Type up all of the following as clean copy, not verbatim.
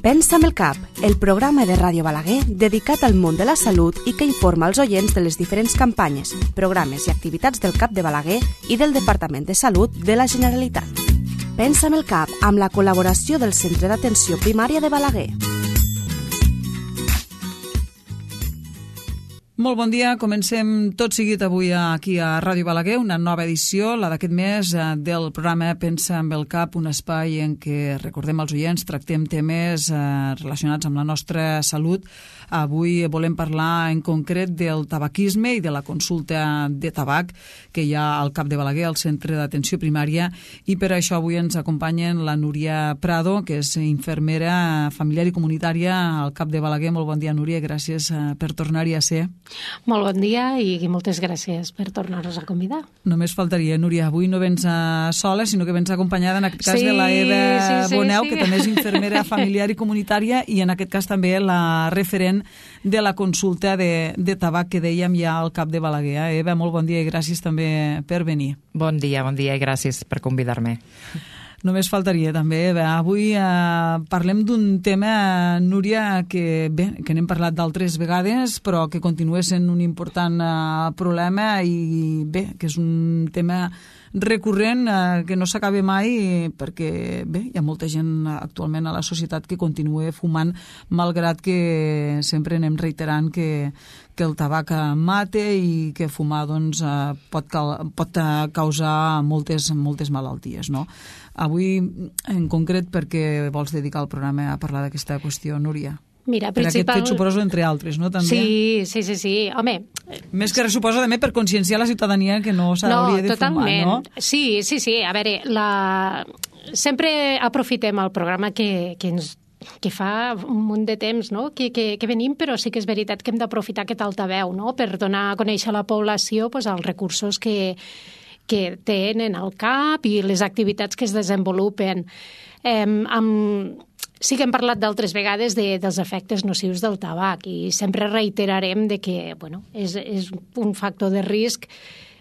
Pensa amb el cap, el programa de Ràdio Balaguer dedicat al món de la salut i que informa els oients de les diferents campanyes, programes i activitats del CAP de Balaguer i del Departament de Salut de la Generalitat. Pensa amb el cap, amb la col·laboració del Centre d'Atenció Primària de Balaguer. Molt bon dia, comencem tot seguit avui aquí a Ràdio Balaguer, una nova edició, la d'aquest mes del programa Pensa amb el cap, un espai en què recordem als oients, tractem temes relacionats amb la nostra salut. Avui volem parlar en concret del tabaquisme i de la consulta de tabac que hi ha al CAP de Balaguer, al Centre d'Atenció Primària, i per això avui ens acompanyen la Núria Prado, que és infermera familiar i comunitària al CAP de Balaguer. Molt bon dia, Núria, gràcies per tornar-hi a ser. Molt bon dia i moltes gràcies per tornar-nos a convidar. Només faltaria, Núria, avui no vens sola, sinó que vens acompanyada en aquest cas de la Eva Boneu, que també és infermera familiar i comunitària, i en aquest cas també la referent de la consulta de tabac que dèiem ja al CAP de Balaguer. Eva, molt bon dia i gràcies també per venir. Bon dia i gràcies per convidar-me. Només faltaria també. Avui parlem d'un tema, Núria, que n'hem parlat d'altres vegades, però que continua sent un important problema i que és un tema recurrent que no s'acaba mai perquè hi ha molta gent actualment a la societat que continua fumant, malgrat que sempre anem reiterant que el tabac mata i que fumar pot causar moltes malalties, no? Avui, en concret, per què vols dedicar el programa a parlar d'aquesta qüestió, Núria? Mira, per aquest fet, suposo, entre altres, no? També? Sí. Home... Més que res, suposo, també per conscienciar la ciutadania que no s'hauria de totalment. Fumar, no? Sí. A veure, sempre aprofitem el programa que fa un munt de temps, no? que venim, però sí que és veritat que hem d'aprofitar aquest altaveu, no? Per donar a conèixer a la població els recursos que tenen al CAP i les activitats que es desenvolupen. Sí que hem parlat d'altres vegades dels efectes nocius del tabac i sempre reiterarem que és un factor de risc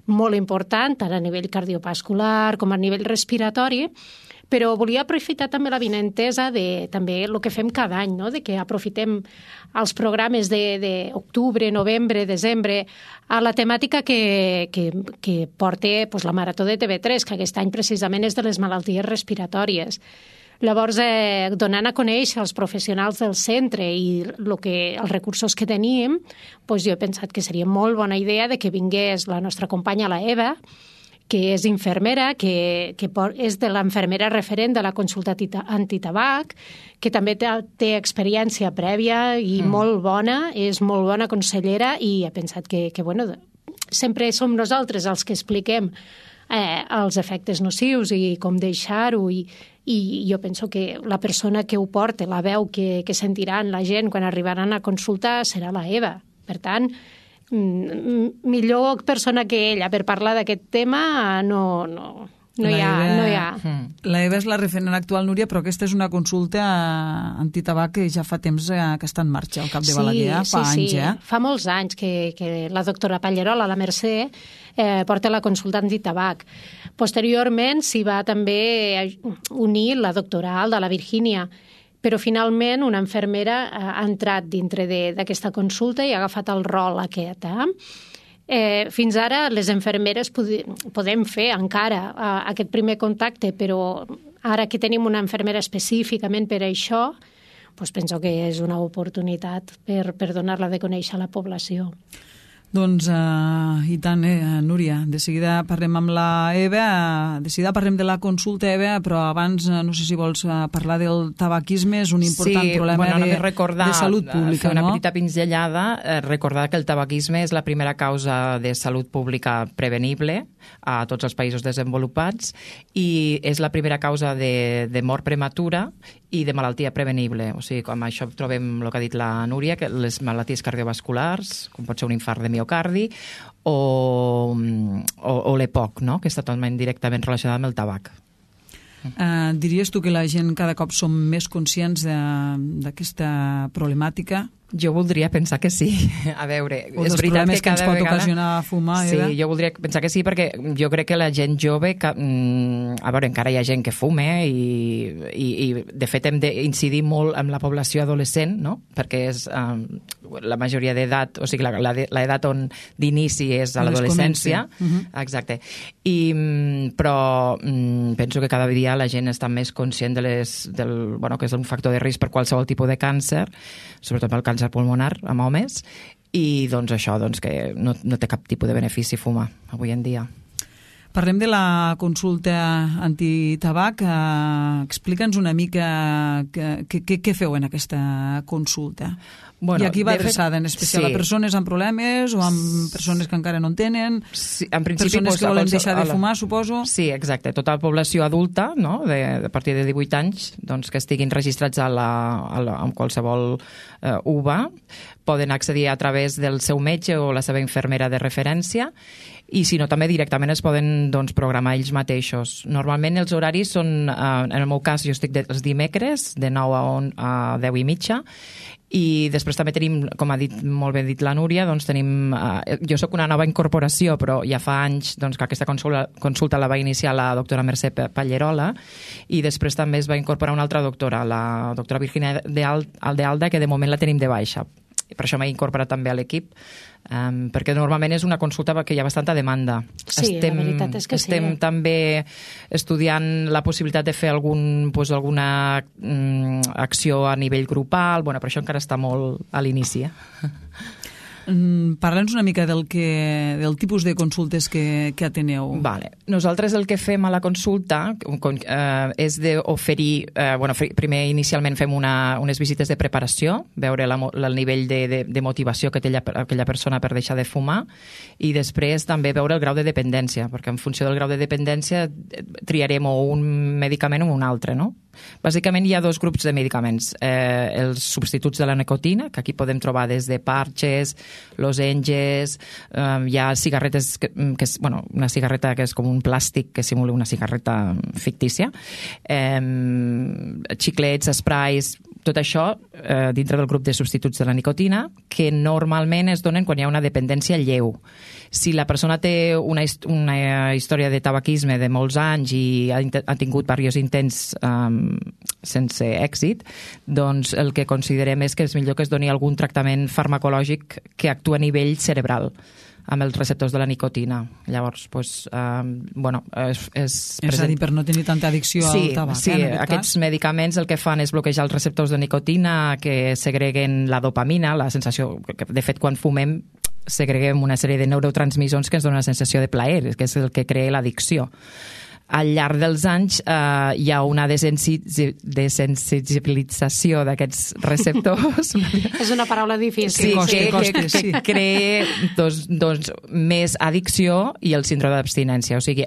molt important, tant a nivell cardiovascular com a nivell respiratori, però volia aprofitar també l'avinentesa de també el que fem cada any, no? De que aprofitem els programes d'octubre, novembre, desembre, a la temàtica que porta la Marató de TV3, que aquest any precisament és de les malalties respiratòries. Llavors, donant a conèixer els professionals del centre i els recursos que tenim, jo he pensat que seria molt bona idea que vingués la nostra companya, la Eva, que és infermera, que és de l'infermera referent de la consulta antitabac, que també té experiència prèvia i molt bona, és molt bona consellera, i he pensat que sempre som nosaltres els que expliquem els efectes nocius i com deixar-ho, i jo penso que la persona que ho porta, la veu que sentiran la gent quan arribaran a consultar serà la Eva. Per tant, millor persona que ella per parlar d'aquest tema no hi ha. La Eva és la referent actual, Núria, però aquesta és una consulta antitabac que ja fa temps que està en marxa al CAP de Balaguer, fa anys. Fa molts anys que la doctora Pallerola, la Mercè, porta la consulta antitabac. Posteriorment s'hi va també unir la doctora Alda, la Virgínia, però finalment una infermera ha entrat dintre d'aquesta consulta i ha agafat el rol aquest. Fins ara les infermeres podem fer encara aquest primer contacte, però ara que tenim una infermera específicament per això, penso que és una oportunitat per donar-la de conèixer a la població. Doncs, i tant, Núria. De seguida parlem amb la Eva, de seguida parlem de la consulta, Eva, però abans no sé si vols parlar del tabaquisme, és un important problema de salut pública, fer una petita pinzellada, recordar que el tabaquisme és la primera causa de salut pública prevenible a tots els països desenvolupats i és la primera causa de mort prematura i de malaltia prevenible. O sigui, com això trobem el que ha dit la Núria, que les malalties cardiovasculars, com pot ser un infart de miocardi, o l'EPOC, no? Que està totalment directament relacionada amb el tabac. Diries tu que la gent cada cop som més conscients d'aquesta problemàtica? Jo voldria pensar que sí. A veure, és veritat que ens pot ocasionar fumar. Sí, jo voldria pensar que sí, perquè jo crec que la gent jove, a veure, encara hi ha gent que fuma i de fet hem d'incidir molt en la població adolescent, no? Perquè és la majoria d'edat, o sigui, l'edat d'inici és a l'adolescència. Exacte. Però penso que cada dia la gent està més conscient que és un factor de risc per qualsevol tipus de càncer, sobretot pel càncer pulmonar amb homes, i doncs això, que no té cap tipus de benefici fumar avui en dia. Parlem de la consulta antitabac. Explica'ns una mica què feu en aquesta consulta. I aquí va adreçada en especial a persones amb problemes o amb persones que encara no en tenen, persones que volen deixar de fumar, suposo? Sí, exacte. Tota la població adulta, no? A partir de 18 anys, que estiguin registrats amb qualsevol UVA, poden accedir a través del seu metge o la seva infermera de referència, i si no, també directament es poden programar ells mateixos. Normalment els horaris són, en el meu cas, jo estic els dimecres, de 9 a 10 i mitja, i després també tenim, com ha dit molt ben dit la Núria, jo sóc una nova incorporació, però ja fa anys que aquesta consulta la va iniciar la doctora Mercè Pallerola, i després també es va incorporar una altra doctora, la doctora Virginia de Alda, que de moment la tenim de baixa. I per això m'he incorporat també a l'equip, perquè normalment és una consulta que hi ha bastanta demanda. Sí, la veritat és que sí. Estem també estudiant la possibilitat de fer alguna acció a nivell grupal, però això encara està molt a l'inici. Parla'ns una mica del tipus de consultes que ateneu. Vale. Nosaltres el que fem a la consulta és d'oferir, primer inicialment fem unes visites de preparació, veure el nivell de motivació que té aquella persona per deixar de fumar, i després també veure el grau de dependència, perquè en funció del grau de dependència triarem o un medicament o un altre, no? Bàsicament hi ha dos grups de medicaments, els substituts de la nicotina, que aquí podem trobar des de parches, lozenges, hi ha cigarretes, una cigarreta que és com un plàstic que simula una cigarreta fictícia, xiclets, sprays, tot això dintre del grup de substituts de la nicotina, que normalment es donen quan hi ha una dependència lleu. Si la persona té una història de tabaquisme de molts anys i ha tingut diversos intents sense èxit, doncs el que considerem és que és millor que es doni algun tractament farmacològic que actua a nivell cerebral amb els receptors de la nicotina. Llavors, és a dir, per no tenir tanta addicció al tabac. Sí, aquests medicaments el que fan és bloquejar els receptors de nicotina que segreguen la dopamina, la sensació que, de fet, quan fumem segreguem una sèrie de neurotransmissors que ens donen una sensació de plaer, que és el que crea l'addicció. Al llarg dels anys hi ha una desensibilització d'aquests receptors. És una paraula difícil. Sí, que crea més addicció i el síndrome d'abstinència. O sigui,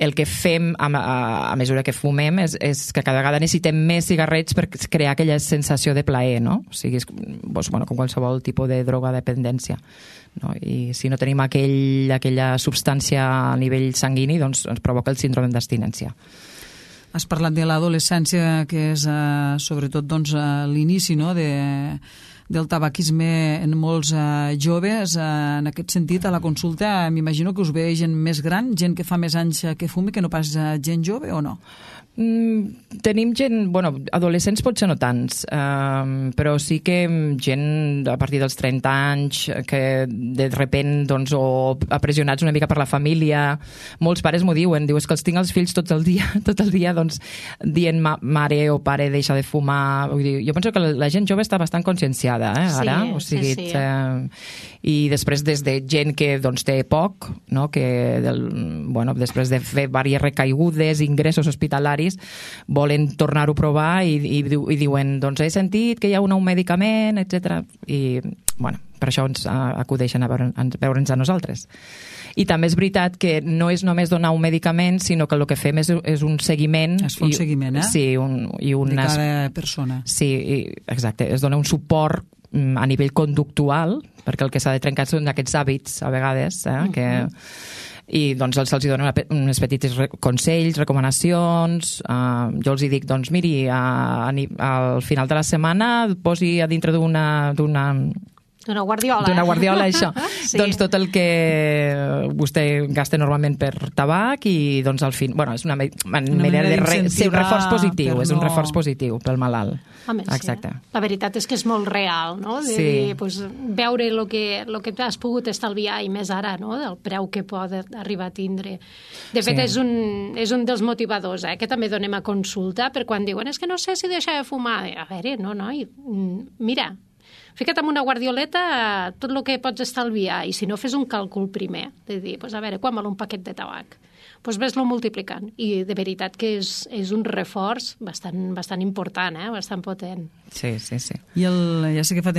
el que fem a mesura que fumem és que cada vegada necessitem més cigarrets per crear aquella sensació de plaer, no? O sigui, és com qualsevol tipus de droga dependència. No? I si no tenim aquella substància a nivell sanguini, doncs ens provoca el síndrome d'abstinència. Has parlat de l'adolescència, que és sobretot l'inici, no?, del tabaquisme en molts joves. En aquest sentit, a la consulta m'imagino que us ve gent més gran, gent que fa més anys que fumi, que no pas gent jove, o no? Tenim gent, adolescents potser no tants, però sí que gent a partir dels 30 anys que de repent o apressionats una mica per la família. Molts pares m'ho diuen, és que els tinc els fills tot el dia dient mare o pare deixa de fumar. Vull dir, jo penso que la gent jove està bastant conscienciada ara, sí. I després des de gent que té poc, no? Que després de fer diverses recaigudes, ingressos hospitalaris, volen tornar-ho a provar i diuen, he sentit que hi ha un nou medicament, etc. I, per això ens acudeixen a veure'ns a nosaltres. I també és veritat que no és només donar un medicament, sinó que el que fem és un seguiment. Es fa un seguiment, Sí, de cada persona. Sí, exacte. Es dona un suport a nivell conductual, perquè el que s'ha de trencar són aquests hàbits, a vegades, que I doncs se'ls donen uns petits consells, recomanacions. Jo els dic, doncs miri, al final de la setmana posi a dintre d'una guardiola, això. Sí. Doncs tot el que vostè gasta normalment per tabac i doncs al fin... Bueno, és una manera de ser un reforç positiu, és un reforç positiu pel malalt. Home, exacte. Sí. La veritat és que és molt real, no? De dir, pues, veure el que has pogut estalviar i més ara, no? Del preu que pot arribar a tindre. De fet, és un dels motivadors, que també donem a consulta per quan diuen és que no sé si deixar de fumar. A veure, no, mira, fica't amb una guardioleta tot el que pots estalviar i si no fes un càlcul primer, de dir, pues, a veure, quan val un paquet de tabac? Doncs ves-lo multiplicant. I de veritat que és un reforç bastant important, bastant potent. Sí. I ja sé que fa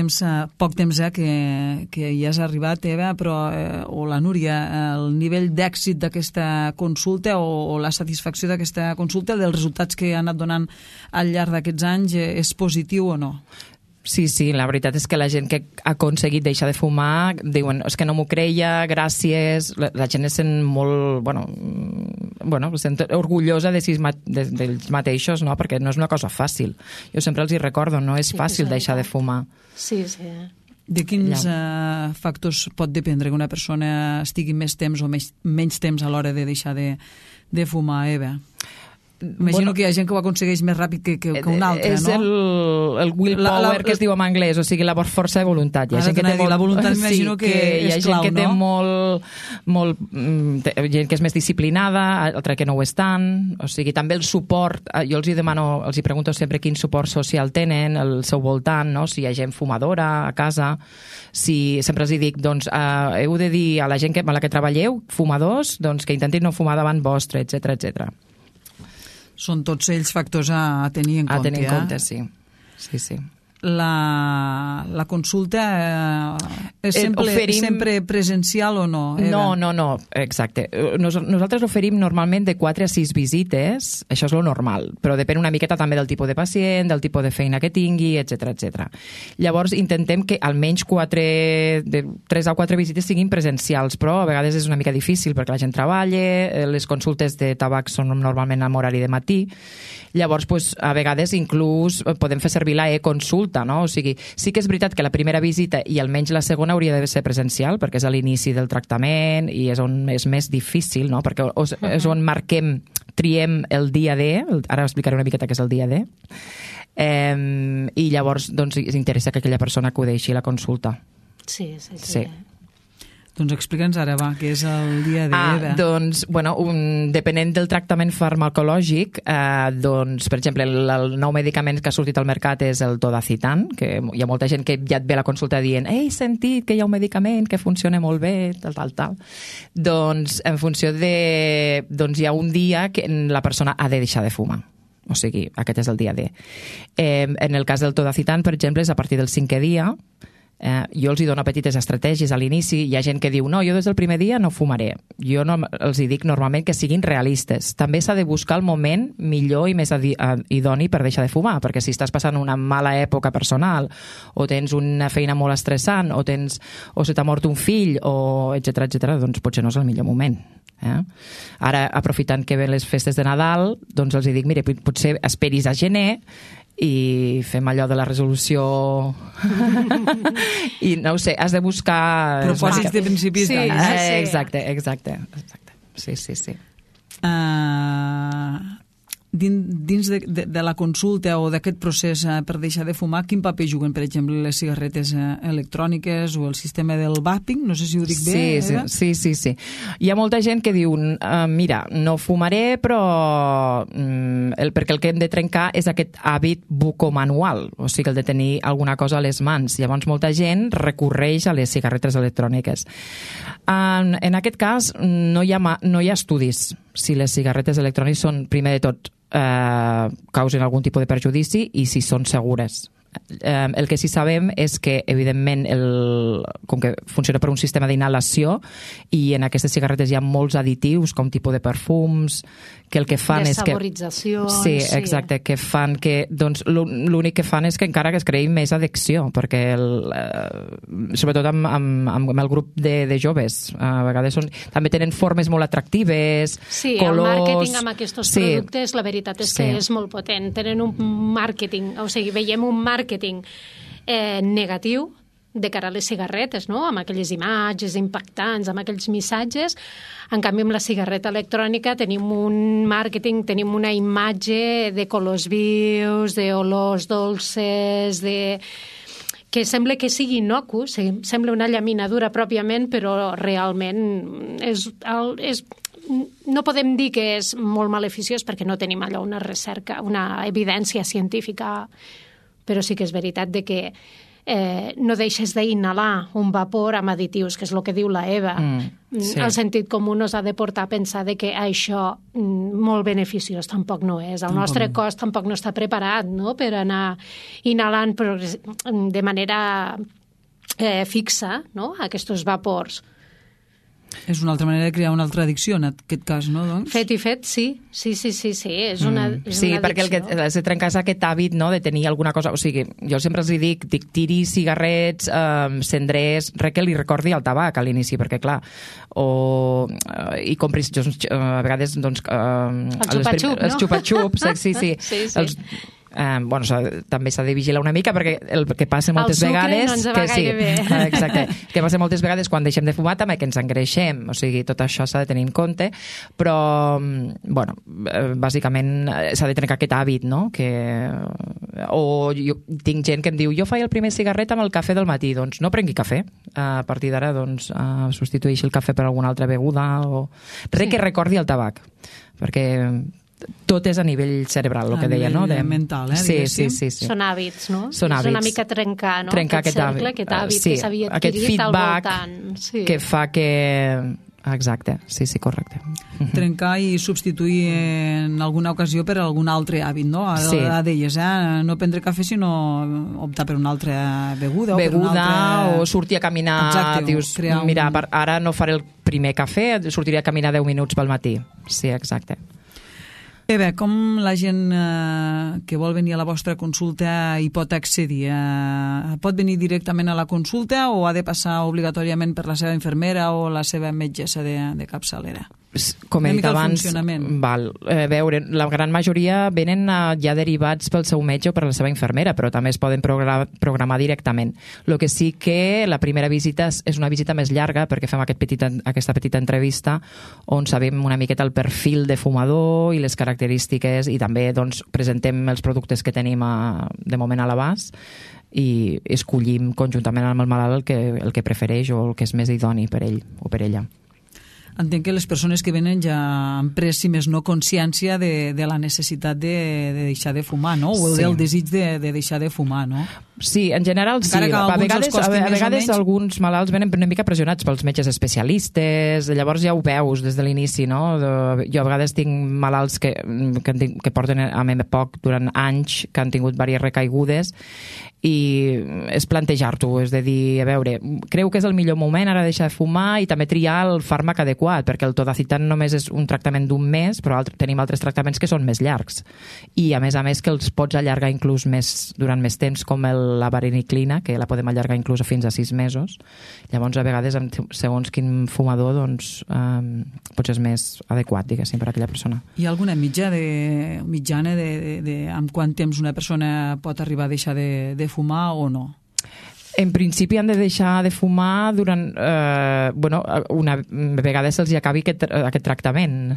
poc temps que ja has arribat, Eva, però, o la Núria, el nivell d'èxit d'aquesta consulta o la satisfacció d'aquesta consulta, dels resultats que ha anat donant al llarg d'aquests anys, és positiu o no? Sí, la veritat és que la gent que ha aconseguit deixar de fumar diuen, és que no m'ho creia, gràcies. La gent es sent molt, es sent orgullosa d'ells mateixos, no? Perquè no és una cosa fàcil. Jo sempre els hi recordo, no és fàcil deixar de fumar. Sí. De quins factors pot dependre que una persona estigui més temps o menys temps a l'hora de deixar de fumar, Eva? Imagino que hi ha gent que ho aconsegueix més ràpid que un altre, no? És el willpower que es diu en anglès, o sigui, la força de voluntat. La voluntat m'imagino que és clau, no? Hi ha gent que té gent que és més disciplinada, altra que no ho és tant, o sigui, també el suport, jo els hi pregunto sempre quin suport social tenen al seu voltant, no? Si hi ha gent fumadora a casa, sempre els dic, doncs, heu de dir a la gent amb la que treballeu, fumadors, doncs que intentin no fumar davant vostre, etc. Són tots ells factors a tenir en compte. A tenir en compte, sí. La consulta és sempre presencial o no? Eva? No, exacte. Nosaltres oferim normalment de 4 a 6 visites, això és lo normal, però depèn una miqueta també del tipus de pacient, del tipus de feina que tingui, etc. Llavors intentem que almenys 3 a 4 visites siguin presencials, però a vegades és una mica difícil perquè la gent treballa, les consultes de tabac són normalment en horari de matí, llavors a vegades inclús podem fer servir la e-consulta, no? O sigui, sí que és veritat que la primera visita i almenys la segona hauria de ser presencial perquè és a l'inici del tractament i és on és més difícil, no? Perquè és on triem el dia D, ara explicaré una miqueta què és el dia D, i llavors doncs interessa que aquella persona acudeixi a la consulta. Sí. Doncs explica'ns ara, què és el dia D, Eva? Doncs, depenent del tractament farmacològic, doncs, per exemple, el nou medicament que ha sortit al mercat és el Todacitan, que hi ha molta gent que ja et ve a la consulta dient he sentit que hi ha un medicament que funciona molt bé, tal. Doncs, en funció de... Doncs hi ha un dia que la persona ha de deixar de fumar. O sigui, aquest és el dia D. En el cas del Todacitan, per exemple, és a partir del 5è dia. Jo els dono petites estratègies a l'inici. Hi ha gent que diu, no, jo des del primer dia no fumaré. Jo els dic normalment que siguin realistes. També s'ha de buscar el moment millor i més idoni per deixar de fumar, perquè si estàs passant una mala època personal o tens una feina molt estressant o se t'ha mort un fill o etc, doncs potser no és el millor moment. Ara, aprofitant que ven les festes de Nadal, doncs els dic, mira, potser esperis a gener i fem allò de la resolució i no ho sé, has de buscar propòsits de principis d'any. Exacte. Sí. Dins de la consulta o d'aquest procés per deixar de fumar, quin paper juguen, per exemple, les cigarretes electròniques o el sistema del vaping? No sé si ho dic bé, Eva? Sí. Hi ha molta gent que diu, mira, no fumaré, però perquè el que hem de trencar és aquest hàbit bucomanual, o sigui, el de tenir alguna cosa a les mans. Llavors, molta gent recorreix a les cigarretes electròniques. En aquest cas, no hi ha estudis si les cigarretes electròniques són, primer de tot, causen algun tipus de perjudici i si són segures. El que sí sabem és que, evidentment, com que funciona per un sistema d'inhalació i en aquestes cigarretes hi ha molts additius, com tipus de perfums, que el que fan és que... Saboritzacions. Sí, exacte, que fan que... Doncs l'únic que fan és que encara que es creï més addicció, perquè sobretot amb el grup de joves, a vegades també tenen formes molt atractives, sí, colors... el màrqueting amb aquests productes, la veritat és que és molt potent. Tenen un màrqueting, o sigui, veiem un màrqueting negatiu de cara a les cigarretes, no? Amb aquelles imatges impactants, amb aquells missatges. En canvi, amb la cigarreta electrònica tenim un màrqueting, tenim una imatge de colors vius, d'olors dolces, que sembla que sigui innocu, sembla una llaminadura pròpiament, però realment no podem dir que és molt maleficiós perquè no tenim allò una recerca, una evidència científica, però sí que és veritat de que no deixes d'inhalar un vapor amb additius, que és el que diu la Eva. Sí. El sentit comú nos ha de portar a pensar de que això molt beneficiós tampoc no és. El nostre cos tampoc no està preparat, no?, per anar inhalant de manera fixa, no?, aquests vapors. És una altra manera de crear una altra addicció, en aquest cas, no, doncs? Fet i fet, sí. És una sí, perquè el que has de trencar és aquest hàbit, no?, de tenir alguna cosa... O sigui, jo sempre els dic tiri cigarrets, cendrers, que li recordi el tabac a l'inici, perquè, clar, i compris, a vegades, doncs... el xupa-xup, no? Els xupa-xups, sí. Bueno, també s'ha de vigilar una mica perquè el que passa moltes vegades... El sucre no ens va gaire bé. Exacte. Que passa moltes vegades quan deixem de fumar també que ens engreixem, o sigui, tot això s'ha de tenir en compte, però, bueno, bàsicament s'ha de trencar aquest hàbit, no? O jo tinc gent que em diu, jo faig el primer cigarret amb el cafè del matí, doncs no prengui cafè. A partir d'ara, doncs, substitueixi el cafè per alguna altra beguda o res que recordi el tabac, perquè tot és a nivell cerebral, el que deia, no? Mental, sí. Són hàbits, no? Són hàbits. És una mica trencar, no? Trencar aquest cercle, aquest hàbit que s'havia adquirit al voltant. Sí. Que fa que... Exacte, sí, correcte. Trencar i substituir en alguna ocasió per algun altre hàbit, no? Deies, no prendre cafè, sinó optar per una altra beguda. O sortir a caminar. Exacte, dius, mira, ara no faré el primer cafè, sortiré a caminar 10 minuts pel matí. Sí, exacte. Bé, com la gent que vol venir a la vostra consulta hi pot accedir? Pot venir directament a la consulta o ha de passar obligatòriament per la seva infermera o la seva metgessa de capçalera? Com he dit abans, a veure, la gran majoria venen ja derivats pel seu metge o per la seva infermera, però també es poden programar directament. El que sí que la primera visita és una visita més llarga perquè fem aquesta petita entrevista on sabem una miqueta el perfil de fumador i les característiques i també doncs, presentem els productes que tenim de moment a l'abast i escollim conjuntament amb el malalt el que prefereix o el que és més idoni per ell o per ella. Entenc que les persones que venen ja han pres, si més no, consciència de la necessitat de deixar de fumar, no? O del desig de deixar de fumar, no? Sí, en general sí. A vegades alguns malalts venen una mica pressionats pels metges especialistes, llavors ja ho veus des de l'inici, no? Jo a vegades tinc malalts que porten a poc durant anys, que han tingut diverses recaigudes i és plantejar-t'ho, és de dir, a veure, creu que és el millor moment ara deixar de fumar i també triar el fàrmac adequat, perquè el todacitan només és un tractament d'un mes, però tenim altres tractaments que són més llargs i a més que els pots allargar inclús durant més temps, com la vareniclina, que la podem allargar inclús fins a 6 mesos. Llavors, a vegades, segons quin fumador, doncs, potser és més adequat, diguéssim, per a aquella persona. Hi ha alguna mitjana amb quant temps una persona pot arribar a deixar de fumar o no? En principi han de deixar de fumar durant... una vegada se'ls acabi aquest tractament.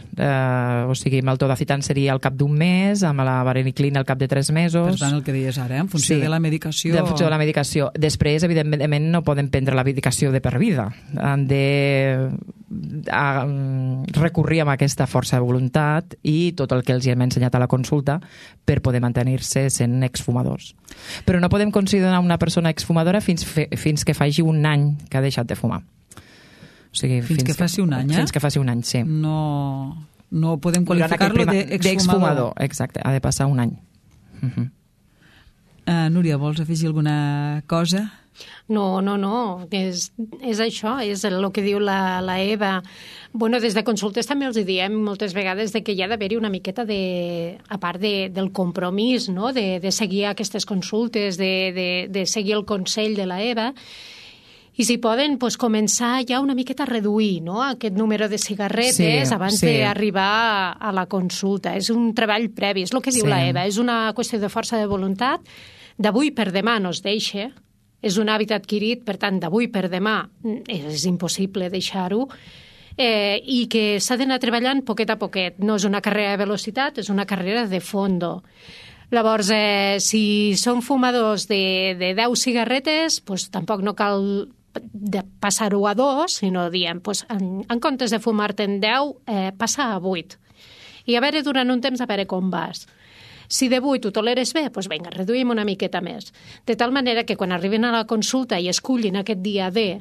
O sigui, amb el todacitan seria al cap d'un mes, amb la vareniclina al cap de 3 mesos... Per tant, el que deies ara, en funció de la medicació... En funció de la medicació. Després, evidentment, no poden prendre la medicació de per vida. Han de recurrir a aquesta força de voluntat i tot el que els hem ensenyat a la consulta per poder mantenir-se sent exfumadors. Però no podem considerar una persona exfumadora fins que faci un any que ha deixat de fumar. O sigui, fins que faci un any, Fins que faci un any, sí. No podem qualificar-lo d'exfumador. Exacte, ha de passar un any. Núria, vols afegir alguna cosa? No, és això, és el que diu la Eva. Bueno, des de consultes també els diem moltes vegades de que hi ha d'haver-hi una miqueta a part del compromís, no? de seguir aquestes consultes, de seguir el consell de la EVA, i si poden començar ja una miqueta a reduir, no?, aquest número de cigarretes abans d'arribar a la consulta. És un treball previ, és el que diu la EVA, és una qüestió de força de voluntat, d'avui per demà no es deixa, és un hàbit adquirit, per tant, d'avui per demà és impossible deixar-ho, i que s'ha d'anar treballant poquet a poquet. No és una carrera de velocitat, és una carrera de fondo. Llavors, si són fumadors de 10 cigarretes, tampoc no cal passar-ho a 2, sinó diem, en comptes de fumar-te'n 10, passa a 8. I a veure, durant un temps, a veure com vas. Si de 8 ho toleres bé, vinga, reduïm una miqueta més. De tal manera que quan arriben a la consulta i escullin aquest dia D,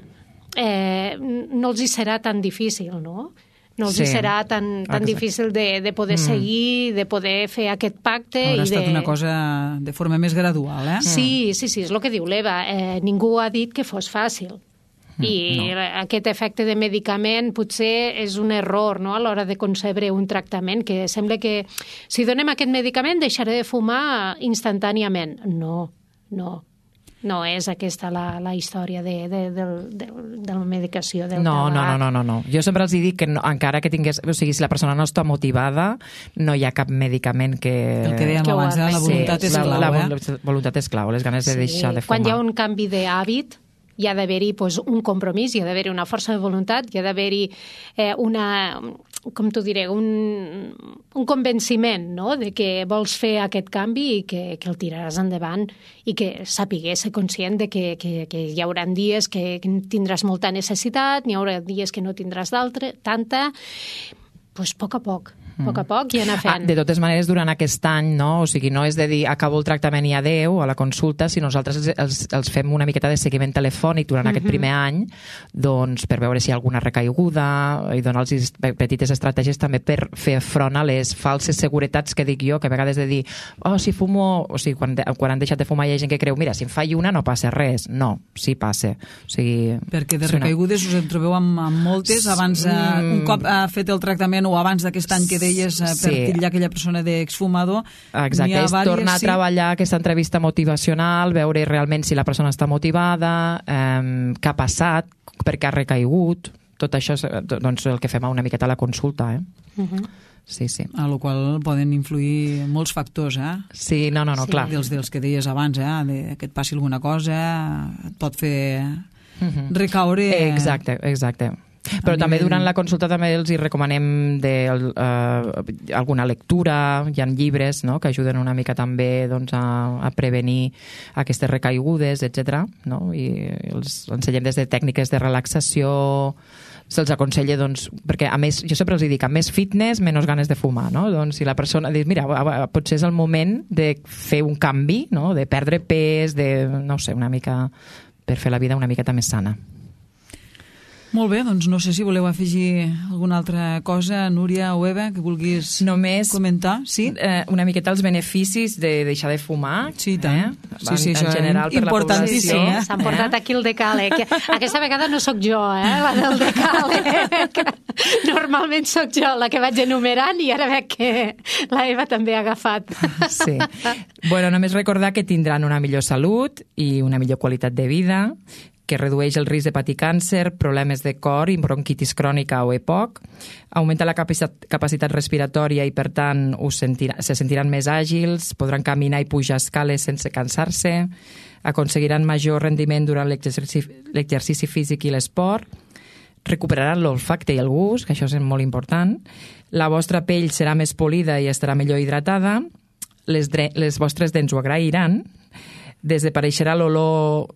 no els hi serà tan difícil, no? No els serà tan difícil de poder seguir, de poder fer aquest pacte. Haurà estat una cosa de forma més gradual, eh? Sí, és el que diu l'Eva. Ningú ha dit que fos fàcil. I aquest efecte de medicament potser és un error, no?, a l'hora de concebre un tractament, que sembla que si donem aquest medicament deixaré de fumar instantàniament. No és aquesta la història de la medicació del tabac. No. Jo sempre els dic que encara que tingués... O sigui, si la persona no està motivada, no hi ha cap medicament que... El que dèiem abans, la voluntat és clau. La voluntat és clau, les ganes de deixar de fumar. Quan hi ha un canvi d'hàbit, hi ha d'haver-hi un compromís, hi ha d'haver-hi una força de voluntat, hi ha d'haver-hi un convenciment, no?, de que vols fer aquest canvi i que el tiraràs endavant, i que sapigués ser conscient de que hi haurà dies que tindràs molta necessitat, n'hi haurà dies que no tindràs tanta, a poc a poc i anar fent. De totes maneres, durant aquest any, no? O sigui, no és de dir acabo el tractament i adeu a la consulta, sinó nosaltres els fem una miqueta de seguiment telefònic durant aquest primer any, doncs per veure si hi ha alguna recaiguda i donar-los petites estratègies també per fer front a les falses seguretats que dic jo, que a vegades de dir si fumo, o sigui, quan han deixat de fumar hi ha gent que creu, mira, si em faig una no passa res. No, sí passa. O sigui, perquè de recaigudes us en trobeu amb moltes abans, un cop ha fet el tractament o abans d'aquest any que deies per titllar aquella persona d'exfumador. Exacte, és tornar a treballar aquesta entrevista motivacional, veure realment si la persona està motivada, què ha passat, per què ha recaigut, tot això és el que fem una miqueta a la consulta, Sí. A la qual poden influir molts factors, Sí, no, clar. Dels que deies abans, que et passi alguna cosa, et pot fer recaure... Exacte. Però també durant la consulta també els hi recomanem alguna lectura, hi ha llibres que ajuden una mica també a prevenir aquestes recaigudes, etc. I els ensenyem des de tècniques de relaxació, se'ls aconsella, perquè a més, jo sempre els dic, a més fitness, menys ganes de fumar, no? Doncs si la persona diu, mira, potser és el moment de fer un canvi, no? De perdre pes, no sé, una mica, per fer la vida una miqueta més sana. Molt bé, doncs no sé si voleu afegir alguna altra cosa, Núria o Eva, que vulguis comentar. Sí? Una miqueta els beneficis de deixar de fumar. Sí, tant. Sí, això és importantíssim. S'han portat aquí el decàleg. Aquesta vegada no sóc jo, la del decàleg. Normalment sóc jo la que vaig enumerant i ara veig que la Eva també ha agafat. Sí. Bueno, només recordar que tindran una millor salut i una millor qualitat de vida, que redueix el risc de patir càncer, problemes de cor i bronquitis crònica o EPOC, augmenta la capacitat respiratòria i, per tant, se sentiran més àgils, podran caminar i pujar escales sense cansar-se, aconseguiran major rendiment durant l'exercici físic i l'esport, recuperaran l'olfacte i el gust, que això és molt important, la vostra pell serà més polida i estarà millor hidratada, les vostres dents ho agrairan, desapareixerà l'olor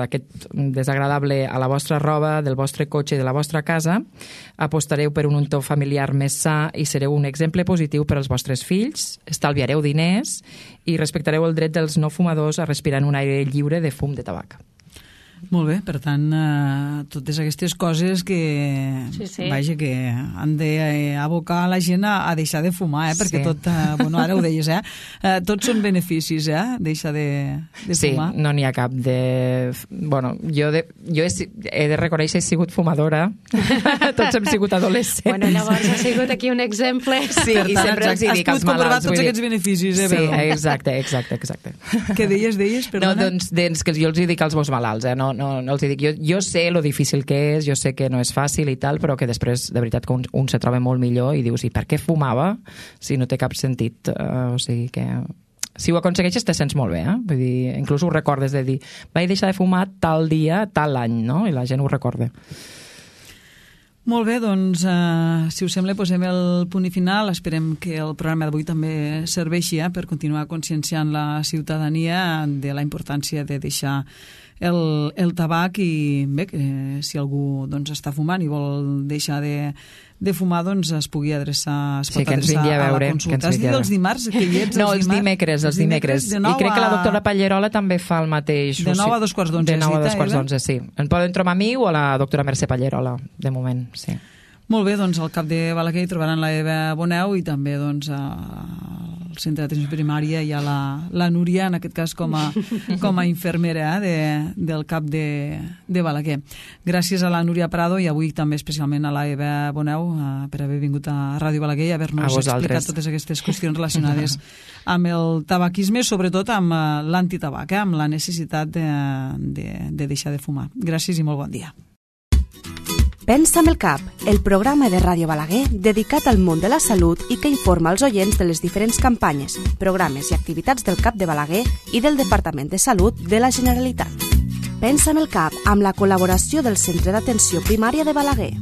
aquest desagradable a la vostra roba, del vostre cotxe i de la vostra casa, apostareu per un entorn familiar més sa i sereu un exemple positiu per als vostres fills, estalviareu diners i respectareu el dret dels no fumadors a respirar en un aire lliure de fum de tabac. Molt bé, per tant, totes aquestes coses que, vaja, que han d'abocar la gent a deixar de fumar, perquè tot, bueno, ara ho deies, tots són beneficis, deixar de fumar. Sí, no n'hi ha cap de... Bueno, jo he de reconèixer que he sigut fumadora, tots hem sigut adolescents. Bueno, llavors ha sigut aquí un exemple. Sí, i sempre els hi dic als malalts. Has pogut comprovar tots aquests beneficis, Sí, exacte. Què deies, perdona? No, doncs que jo els hi dic als meus malalts, no els hi dic. Jo sé lo difícil que és, jo sé que no és fàcil i tal, però que després, de veritat, que un se troba molt millor i dius, i per què fumava si no té cap sentit? O sigui que... Si ho aconsegueixes te sents molt bé, Vull dir, inclús ho recordes de dir, vaig deixar de fumar tal dia, tal any, no? I la gent ho recorda. Molt bé, doncs, si us sembla, posem el punt i final. Esperem que el programa d'avui també serveixi per continuar conscienciant la ciutadania de la importància de deixar el tabac i bé, que si algú doncs, està fumant i vol deixar de fumar, doncs es pugui adreçar, es pot adreçar a la consulta. Has dit els dimarts que hi ets? No, els dimecres. I crec que la doctora Pallerola també fa el mateix. De 9 a 2:15. De 9 a 2:15, sí. En poden trobar a mi o a la doctora Mercè Pallerola, de moment, sí. Molt bé, doncs al CAP de Balaguer hi trobaran la Eva Boneu i també doncs al centre d'atenció primària hi ha la Núria, en aquest cas com a infermera del CAP de Balaguer. Gràcies a la Núria Prado i avui també especialment a la Eva Boneu per haver vingut a Ràdio Balaguer i haver-nos explicat totes aquestes qüestions relacionades amb el tabaquisme, sobretot amb l'antitabac, amb la necessitat de deixar de fumar. Gràcies i molt bon dia. Pensa amb el cap, el programa de Ràdio Balaguer dedicat al món de la salut i que informa els oients de les diferents campanyes, programes i activitats del CAP de Balaguer i del Departament de Salut de la Generalitat. Pensa amb el cap amb la col·laboració del Centre d'Atenció Primària de Balaguer.